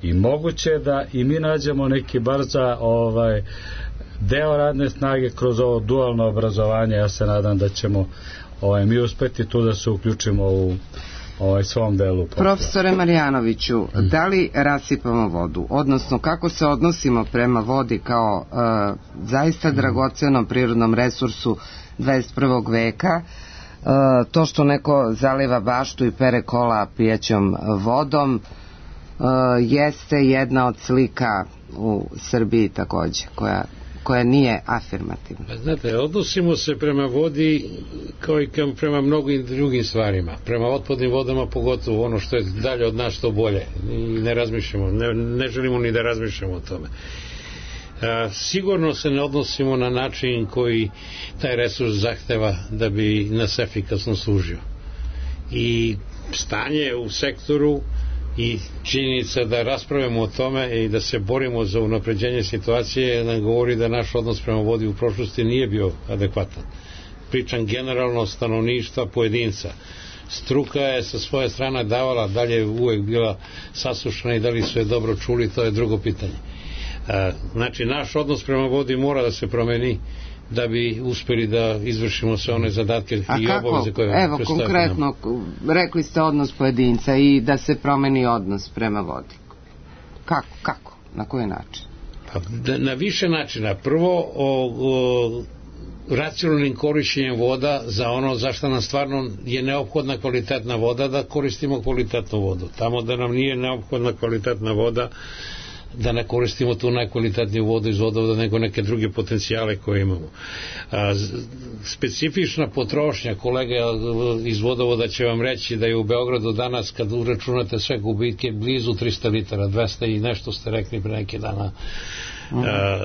I moguće da i mi nađemo neki bar za ovaj, deo radne snage kroz ovo dualno obrazovanje. Ja se nadam da ćemo ovaj, mi uspeti tu da se uključimo u ovaj, svom delu. Profesore Marjanoviću, mm. da li rasipamo vodu? Odnosno, kako se odnosimo prema vodi kao uh, zaista dragocenom prirodnom resursu dvadeset prvog veka? Uh, to što neko zaliva baštu i pere kola pijaćom vodom uh, jeste jedna od slika u Srbiji takođe, koja koja nije afirmativna. Znate, odnosimo se prema vodi kao i prema mnogim drugim stvarima. Prema otpadnim vodama pogotovo ono što je dalje od nas što bolje. I ne razmišljamo, ne, ne želimo ni da razmišljamo o tome. A, sigurno se ne odnosimo na način koji taj resurs zahteva da bi nas efikasno služio. I stanje u sektoru i činjenica da raspravljamo o tome i da se borimo za unapređenje situacije nam govori da naš odnos prema vodi u prošlosti nije bio adekvatan. Pričam generalno stanovništva pojedinca. Struka je sa svoje strane davala, dalje je uvek bila saslušana i da li su je dobro čuli, to je drugo pitanje. Znači, naš odnos prema vodi mora da se promeni da bi uspeli da izvršimo sve one zadatke i obaveze koje vam evo, konkretno, rekli ste odnos pojedinca i da se promeni odnos prema vodi. Kako? Kako? Na koji način? Pa, na više načina. Prvo, o, o racionalnim korišćenjem voda za ono za što nam stvarno je neophodna kvalitetna voda, da koristimo kvalitetnu vodu. Tamo da nam nije neophodna kvalitetna voda, da ne koristimo tu najkvalitetniju vodu iz vodovoda nego neke druge potencijale koje imamo. A, specifična potrošnja, kolega iz vodovoda će vam reći da je u Beogradu danas, kad uračunate sve gubitke, blizu trista litara, dvesta i nešto ste rekli pre neke dana a,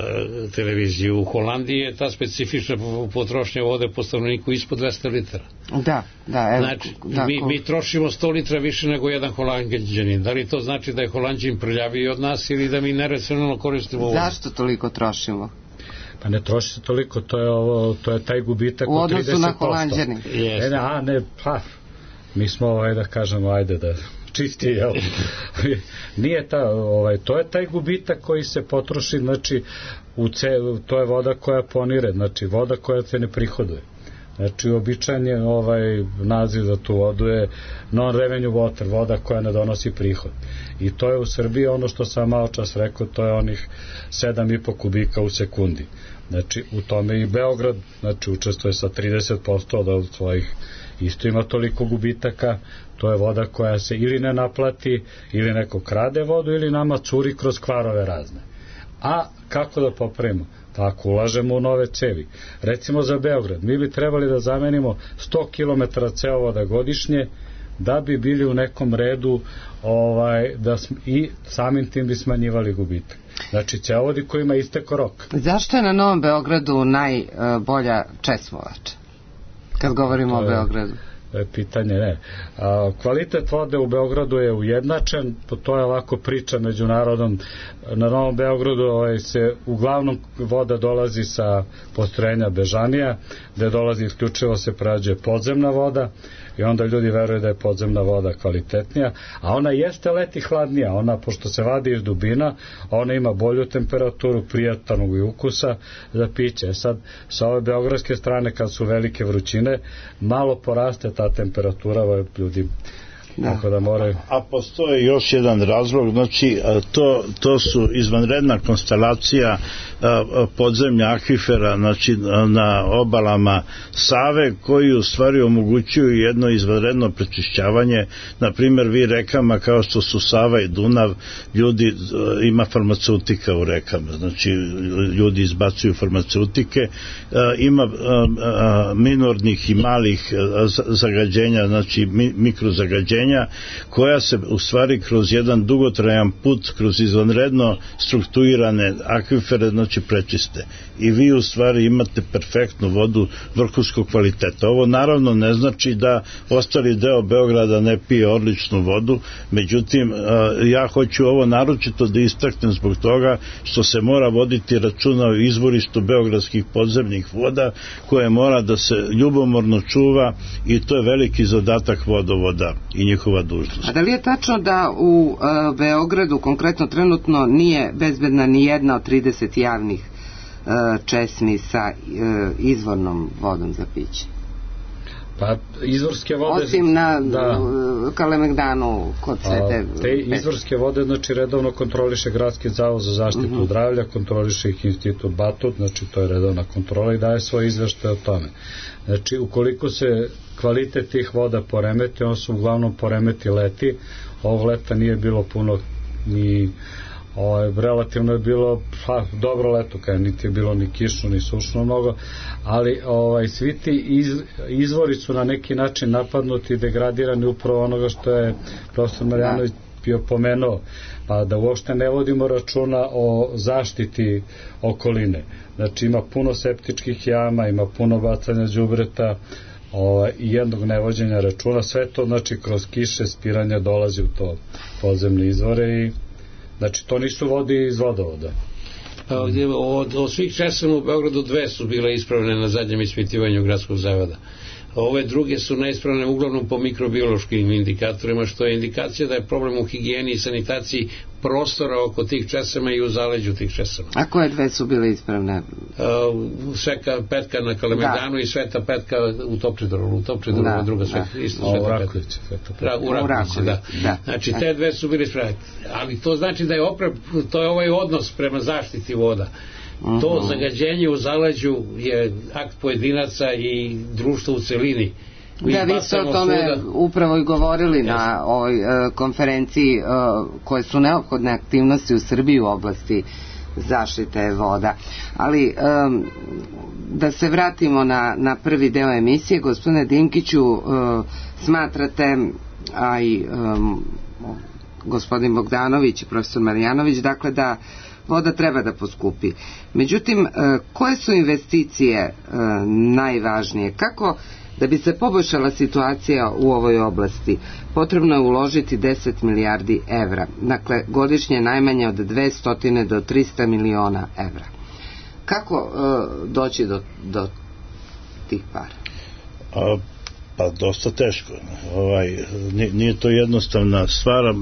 televiziju. U Holandiji je ta specifična potrošnja vode po stanovniku ispod dvesta litara. Da, da. Evo, znači, da, mi, mi trošimo sto litra više nego jedan Holanđanin. Da li to znači da je Holanđin prljaviji od nas ili da mi neracionalno koristimo vodu? Zašto toliko trošimo? Pa ne troši se toliko, to je, ovo, to je taj gubitak u od trideset posto. U odnosu na Holanđanin. E, ne, a ne, pa, mi smo ovaj da kažemo, ajde da čisti, jel? Nije ta, ovaj, to je taj gubitak koji se potroši, znači, u ce, to je voda koja ponire, znači, voda koja se ne prihoduje. Znači, običajan je ovaj naziv za tu vodu je non-revenue water, voda koja ne donosi prihod. I to je u Srbiji ono što sam malo čas rekao, to je onih sedam i po kubika u sekundi. Znači, u tome i Beograd, znači, učestvuje sa trideset posto od svojih isto ima toliko gubitaka. To je voda koja se ili ne naplati, ili neko krade vodu, ili nama curi kroz kvarove razne. A kako da popravimo? Tako ulažemo u nove cevi. Recimo za Beograd, mi bi trebali da zamenimo sto kilometara cevovoda godišnje da bi bili u nekom redu ovaj, da sm, i samim tim bi smanjivali gubitak. Znači cevovodi koji ima isteko rok. Zašto je na Novom Beogradu najbolja česmovača? Kad govorimo to o Beogradu. Je pitanje, ne. A, kvalitet vode u Beogradu je ujednačen, to je ovako priča među narodom. Na Novom Beogradu ovaj, se uglavnom voda dolazi sa postrojenja Bežanija, gde dolazi isključivo se prerađuje podzemna voda i onda ljudi veruju da je podzemna voda kvalitetnija, a ona jeste leti hladnija, ona pošto se vadi iz dubina, ona ima bolju temperaturu, prijatnog i ukusa za piće. Sad, sa ove beogradske strane kad su velike vrućine, malo poraste ta temperatura, ljudi Da. Da moraju... A postoji još jedan razlog, znači to, to su izvanredna konstelacija podzemlja akvifera, znači na obalama Save, koji u stvari omogućuju jedno izvanredno prečišćavanje. Na primjer, vi rekama kao što su Sava i Dunav, ljudi, ima farmaceutika u rekama, znači ljudi izbacuju farmaceutike, ima minornih i malih zagađenja, znači mikrozagađenja, koja se u stvari kroz jedan dugotrajan put, kroz izvanredno strukturirane akvifere, znači prečiste. I vi u stvari imate perfektnu vodu vrhunskog kvaliteta. Ovo naravno ne znači da ostali deo Beograda ne pije odličnu vodu, međutim ja hoću ovo naročito da istaknem zbog toga što se mora voditi računa o izvorištu beogradskih podzemnih voda, koje mora da se ljubomorno čuva i to je veliki zadatak vodovoda i njihova dužnost. A da li je tačno da u uh, Beogradu konkretno trenutno nije bezbedna ni jedna od trideset javnih uh, česmi sa uh, izvornom vodom za piće? Pa izvorske vode... Osim na da. Kalemegdanu kod Svete... A, te izvorske vode, znači, redovno kontroliše Gradski zavod za zaštitu uh-huh. zdravlja, kontroliše ih Institut Batut, znači to je redovna kontrola i daje svoj izveštaj o tome. Znači, ukoliko se kvalitet tih voda poremeti, on se uglavnom poremeti leti. Ovog leta nije bilo puno ni... Ovaj, relativno je bilo pa, dobro leto, kada niti je bilo ni kišno ni sušno mnogo, ali ovaj, svi ti iz, izvori su na neki način napadnuti i degradirani upravo onoga što je profesor Marjanović bio pomenuo, pa da uopšte ne vodimo računa o zaštiti okoline. Znači ima puno septičkih jama, ima puno bacanja đubreta ovaj, i jednog nevođenja računa, sve to znači kroz kiše, spiranja dolazi u to podzemne izvore i znači, to nisu vodi iz vodovoda. Od, od svih česama u Beogradu dve su bile ispravne na zadnjem ispitivanju Gradskog zavoda. Ove druge su neispravne uglavnom po mikrobiološkim indikatorima, što je indikacija da je problem u higijeni i sanitaciji prostora oko tih česama i u zaleđu tih česama. A koje dve su bile ispravne? Uh, sveka petka na Kalemegdanu da. I sveta petka u Topčidoru. U Topčidoru da, druga sveta, da. Isto sveta petka. U Rakovici, da. da. Znači, te dve su bile ispravne. Ali to znači da je opre, to je ovaj odnos prema zaštiti voda. Uh-huh. To zagađenje u zaleđu je akt pojedinaca i društva u celini. Da, vi ste o tome svuda. Upravo i govorili yes. na ovoj uh, konferenciji uh, koje su neophodne aktivnosti u Srbiji u oblasti zaštite voda. Ali um, da se vratimo na, na prvi deo emisije, gospodine Dinkiću, uh, smatrate, a i um, gospodin Bogdanović i profesor Marjanović, dakle da voda treba da poskupi. Međutim, koje su investicije najvažnije? Kako da bi se poboljšala situacija u ovoj oblasti? Potrebno je uložiti deset milijardi evra. Dakle, godišnje najmanje od dvesta do trista miliona evra. Kako doći do, do tih para? A... Pa dosta teško. Ovaj, nije to jednostavna stvar uh,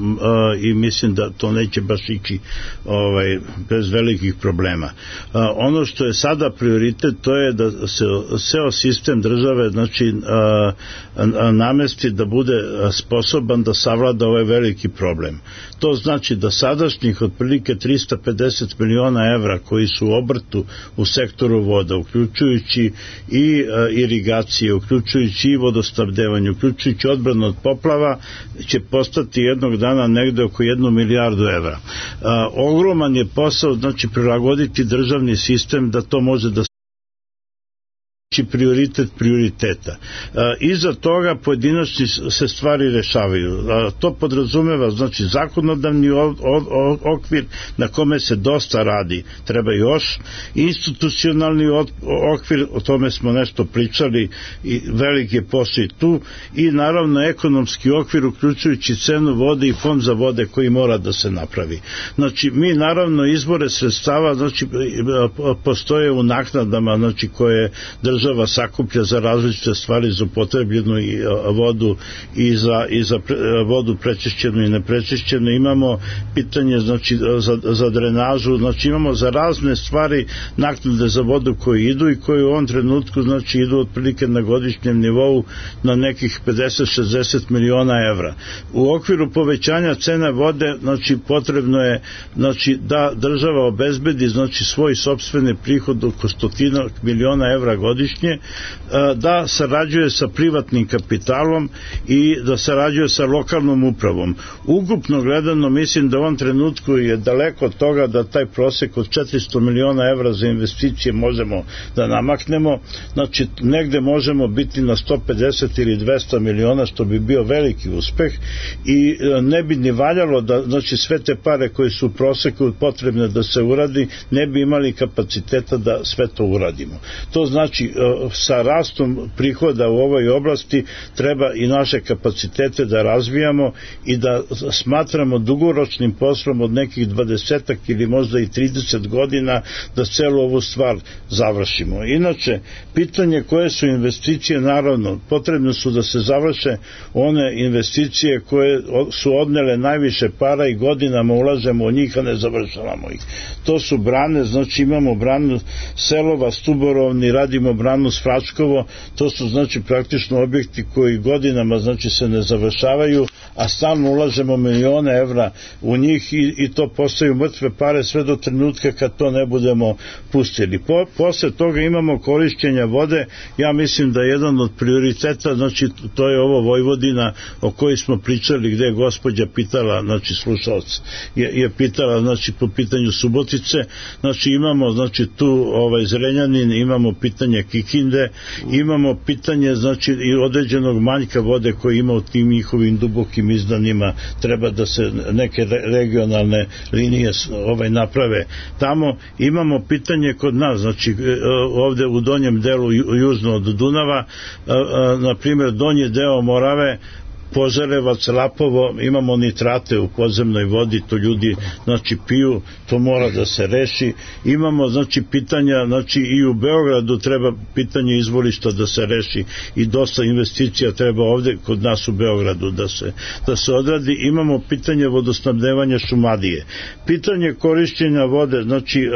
i mislim da to neće baš ići ovaj, bez velikih problema. Uh, ono što je sada prioritet, to je da se ceo sistem države znači, uh, namesti da bude sposoban da savlada ovaj veliki problem. To znači da sadašnjih otprilike trista pedeset miliona evra koji su u obrtu u sektoru voda, uključujući i uh, irigacije, uključujući i vodostavljanje, vodosnabdevanje, uključujući odbranu od poplava, će postati jednog dana negde oko jednu milijardu evra. A, ogroman je posao, znači prilagoditi državni sistem da to može da prioritet prioriteta. Iza toga pojedinačni se stvari rešavaju. To podrazumeva, znači, zakonodavni okvir na kome se dosta radi, treba još, institucionalni okvir, o tome smo nešto pričali i veliki je posao i tu, i naravno ekonomski okvir uključujući cenu vode i fond za vode koji mora da se napravi. Znači, mi naravno izvore sredstava, znači, postoje u naknadama, znači, koje država država sakuplja za različite stvari, za upotrebljenu i vodu i za, i za vodu prečišćenu i neprečišćenu. Imamo pitanje, znači, za, za drenažu, znači imamo za razne stvari naknade za vodu koje idu i koje u ovom trenutku, znači, idu otprilike na godišnjem nivou na nekih pedeset do šezdeset miliona evra. U okviru povećanja cene vode, znači, potrebno je, znači, da država obezbedi, znači, svoj sopstveni prihod oko stotinak miliona evra godišnje, da sarađuje sa privatnim kapitalom i da sarađuje sa lokalnom upravom. Ukupno gledano, mislim da u ovom trenutku je daleko od toga da taj prosek od četiristo miliona evra za investicije možemo da namaknemo. Znači, negde možemo biti na sto pedeset ili dvesta miliona, što bi bio veliki uspeh, i ne bi ni valjalo da, znači, sve te pare koje su u proseku potrebne da se uradi, ne bi imali kapaciteta da sve to uradimo. To znači, sa rastom prihoda u ovoj oblasti treba i naše kapacitete da razvijamo i da smatramo dugoročnim poslom od nekih dvadesetak ili možda i trideset godina da celu ovu stvar završimo. Inače, pitanje koje su investicije, naravno, potrebno su da se završe one investicije koje su odnele najviše para i godinama ulažemo u njih, a ne završavamo ih. To su brane, znači imamo branu Selova, Stuborovni, radimo branu Svračkovo, to su, znači, praktično objekti koji godinama, znači, se ne završavaju, a stalno ulažemo milione evra u njih i, i to postaju mrtve pare sve do trenutka kad to ne budemo pustili. Po, posle toga imamo korišćenja vode. Ja mislim da je jedan od prioriteta, znači, to je ovo Vojvodina o kojoj smo pričali, gde je gospođa pitala, znači, slušalac je, je pitala, znači, po pitanju Subotice, znači, imamo, znači, tu ovaj Zrenjanin, imamo pitanje Kikinde, imamo pitanje, znači, i određenog manjka vode koji ima u tim njihovim dubokim izdanima, treba da se neke regionalne linije ovaj naprave tamo. Imamo pitanje kod nas, znači, ovde u donjem delu južno od Dunava, na primjer donji deo Morave, Požarevac, Lapovo, imamo nitrate u podzemnoj vodi, to ljudi, znači, piju, to mora da se reši. Imamo, znači, pitanja, znači, i u Beogradu treba pitanje izvorišta da se reši i dosta investicija treba ovde kod nas u Beogradu da se, da se odradi. Imamo pitanje vodosnabdevanja Šumadije. Pitanje korišćenja vode, znači,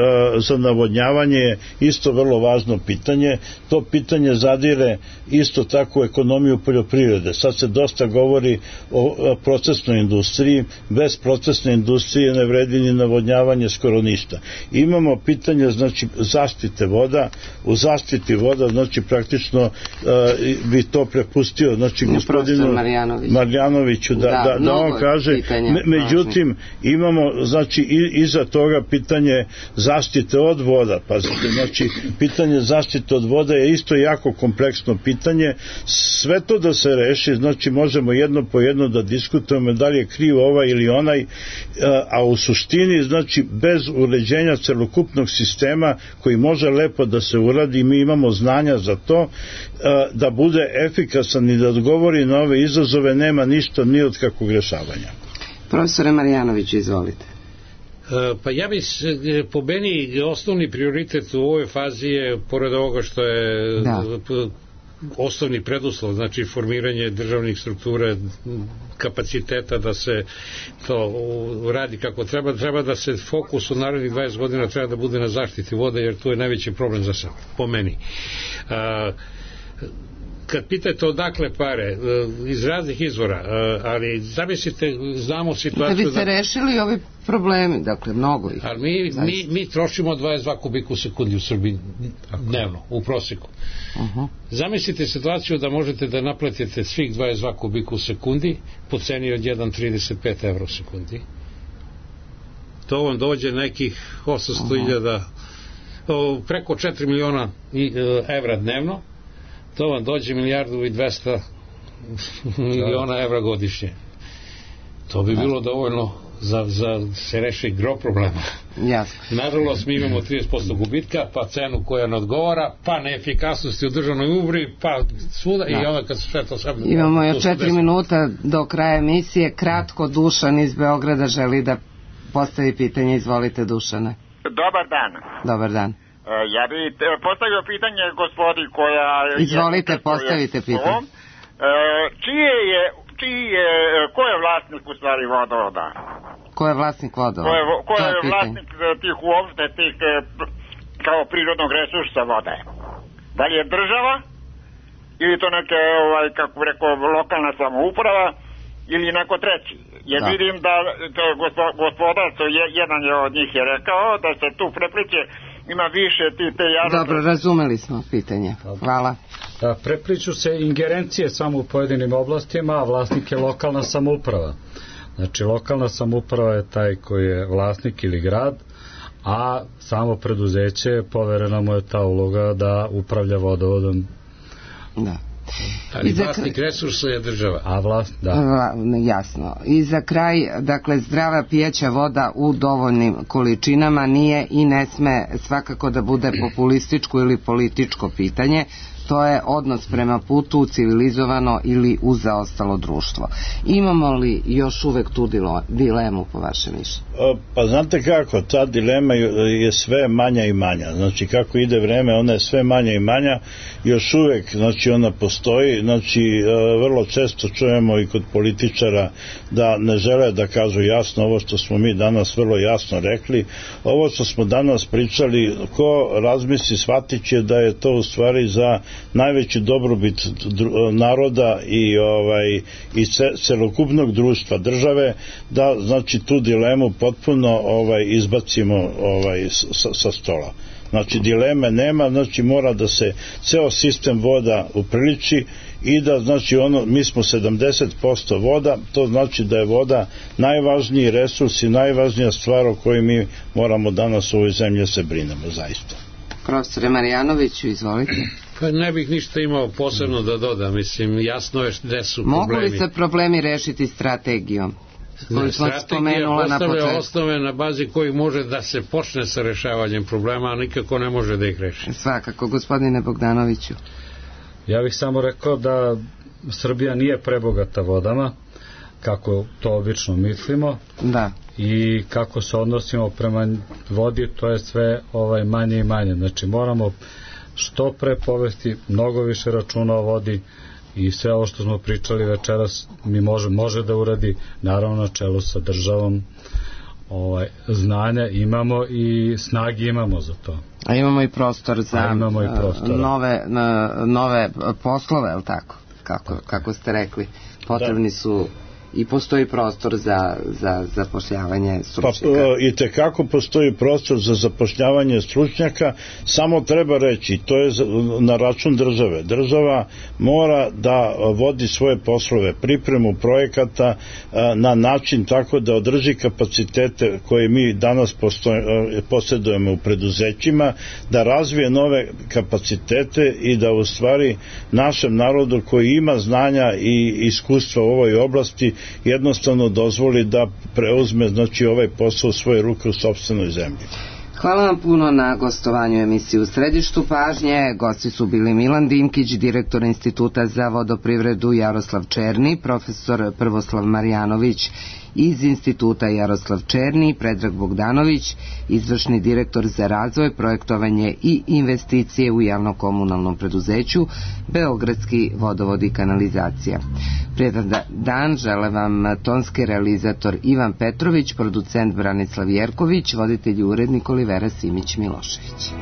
za navodnjavanje je isto vrlo važno pitanje. To pitanje zadire isto tako u ekonomiju poljoprivrede. Sad se dosta govori govori o procesnoj industriji. Bez procesne industrije ne vredi ni navodnjavanje skoro ništa. Imamo pitanje, znači, zaštite voda. U zaštiti voda, znači, praktično uh, bi to prepustio, znači, gospodinu Marjanović. Marjanoviću da, da, da, da on kaže. Me, međutim, imamo, znači, i, iza toga pitanje zaštite od voda. Pazite, znači, pitanje zaštite od voda je isto jako kompleksno pitanje. Sve to da se reši, znači, možemo jedno po jedno da diskutujemo da li je kriv ovaj ili onaj, a u suštini, znači, bez uređenja celokupnog sistema koji može lepo da se uradi, mi imamo znanja za to, da bude efikasan i da odgovori na ove izazove, nema ništa ni od kakvog rešavanja. Profesore Marjanović, izvolite. Pa ja bih, po meni, osnovni prioritet u ovoj fazi je, pored ovoga što je da. osnovni preduslov, znači formiranje državnih struktura, kapaciteta da se to radi kako treba, treba da se fokus u narednih dvadeset godina treba da bude na zaštiti vode, jer to je najveći problem za sad, po meni. A, kad pitate odakle pare, iz raznih izvora, ali zamislite, znamo situaciju... Da bi se rešili ovi problemi, dakle, mnogo ih. Ali mi, mi, mi trošimo dvadeset dva kubika u sekundi u Srbiji dnevno, u prosjeku. Uh-huh. Zamislite situaciju da možete da naplatite svih dvadeset dva kubika u sekundi po ceni od jedan zarez trideset pet evra u sekundi. To vam dođe nekih osamsto hiljada, uh-huh. preko četiri miliona evra dnevno, to vam dođe milijardu i dvesta miliona evra godišnje. To bi bilo dovoljno za, za se reši gro problema. Jasno. Nažalost, mi imamo trideset posto gubitka, pa cenu koja ne odgovara, pa neefikasnosti u državnoj upravi, pa svuda, da. I onda kad se sve to sve... Imamo još četiri minuta do kraja emisije. Kratko, Dušan iz Beograda želi da postavi pitanje. Izvolite, Dušane. Dobar dan. Dobar dan. Ja bih postavio pitanje gospodi koja... Izvolite, je, postavite pitanje. E, čije je, čiji je, ko je vlasnik u stvari vodovoda? Ko je vlasnik vodovoda? Ko je, ko je, je vlasnik tih uopšte, tih kao prirodnog resursa vode? Da li je država? Ili to neke, ovaj, kako rekao, lokalna samouprava? Ili neko treći? Jer da. Vidim da gospodar, to je, jedan je od njih je rekao, da se tu prepliče ima više ti te javne... Dobro, razumeli smo pitanje. Hvala. Da, prepliču se ingerencije samo u pojedinim oblastima, a vlasnik je lokalna samouprava. Znači, lokalna samouprava je taj koji je vlasnik ili grad, a samo preduzeće, poverena mu je ta uloga da upravlja vodovodom. Da. Ali za vlasnik resursa je država. A vlast, da. Jasno. I za kraj, dakle, zdrava pijaća voda u dovoljnim količinama nije i ne sme svakako da bude populističko ili političko pitanje. To je odnos prema putu u civilizovano ili u zaostalo društvo. Imamo li još uvek tu dilemu po vašem mišljenju? Pa znate kako, ta dilema je sve manja i manja. Znači kako ide vreme, ona je sve manja i manja. Još uvek, znači ona postoji. Znači vrlo često čujemo i kod političara da ne žele da kažu jasno ovo što smo mi danas vrlo jasno rekli. Ovo što smo danas pričali, ko razmisli shvatit će da je to u stvari za najveći dobrobit naroda i ovaj i celokupnog društva, države, da znači tu dilemu potpuno ovaj izbacimo ovaj sa, sa stola. Znači dileme nema, znači mora da se ceo sistem voda upriliči i da znači ono, mi smo sedamdeset posto voda, to znači da je voda najvažniji resurs i najvažnija stvar o kojoj mi moramo danas u ovoj zemlji se brinemo zaista. Profesore Marijanoviću, izvolite. Pa ne bih ništa imao posebno da dodam, mislim, jasno je gde su problemi. Mogu li se problemi rešiti strategijom? Ne, strategija postavlja osnove na bazi kojih može da se počne sa rešavanjem problema, a nikako ne može da ih reši. Svakako, gospodine Bogdanoviću. Ja bih samo rekao da Srbija nije prebogata vodama, kako to obično mislimo. Da. I kako se odnosimo prema vodi, to je sve ovaj manje i manje. Znači moramo što pre povesti mnogo više računa o vodi i sve ovo što smo pričali večeras mi može, može da uradi, naravno na čelu sa državom. Ovaj, znanja imamo i snagi imamo za to. A imamo i prostor za i prostor. nove, nove poslove, je li tako? Kako, kako ste rekli, potrebni su i postoji prostor za, za zapošljavanje stručnjaka. Pa, i tekako postoji prostor za zapošljavanje stručnjaka, samo treba reći, to je na račun države. Država mora da vodi svoje poslove, pripremu projekata na način tako da održi kapacitete koje mi danas posjedujemo u preduzećima, da razvije nove kapacitete i da u stvari našem narodu koji ima znanja i iskustva u ovoj oblasti jednostavno dozvoli da preuzme znači ovaj posao u svoje ruke u sopstvenoj zemlji. Hvala vam puno na gostovanju emisije U središtu pažnje. Gosti su bili Milan Dimkić, direktor Instituta za vodoprivredu Jaroslav Černi, profesor Prvoslav Marijanović iz Instituta Jaroslav Černi, Predrag Bogdanović, izvršni direktor za razvoj, projektovanje i investicije u javno-komunalnom preduzeću Beogradski vodovod i kanalizacija. Prijetan dan žele vam tonski realizator Ivan Petrović, producent Branislav Jerković, voditelj i urednik Olivera Simić Milošević.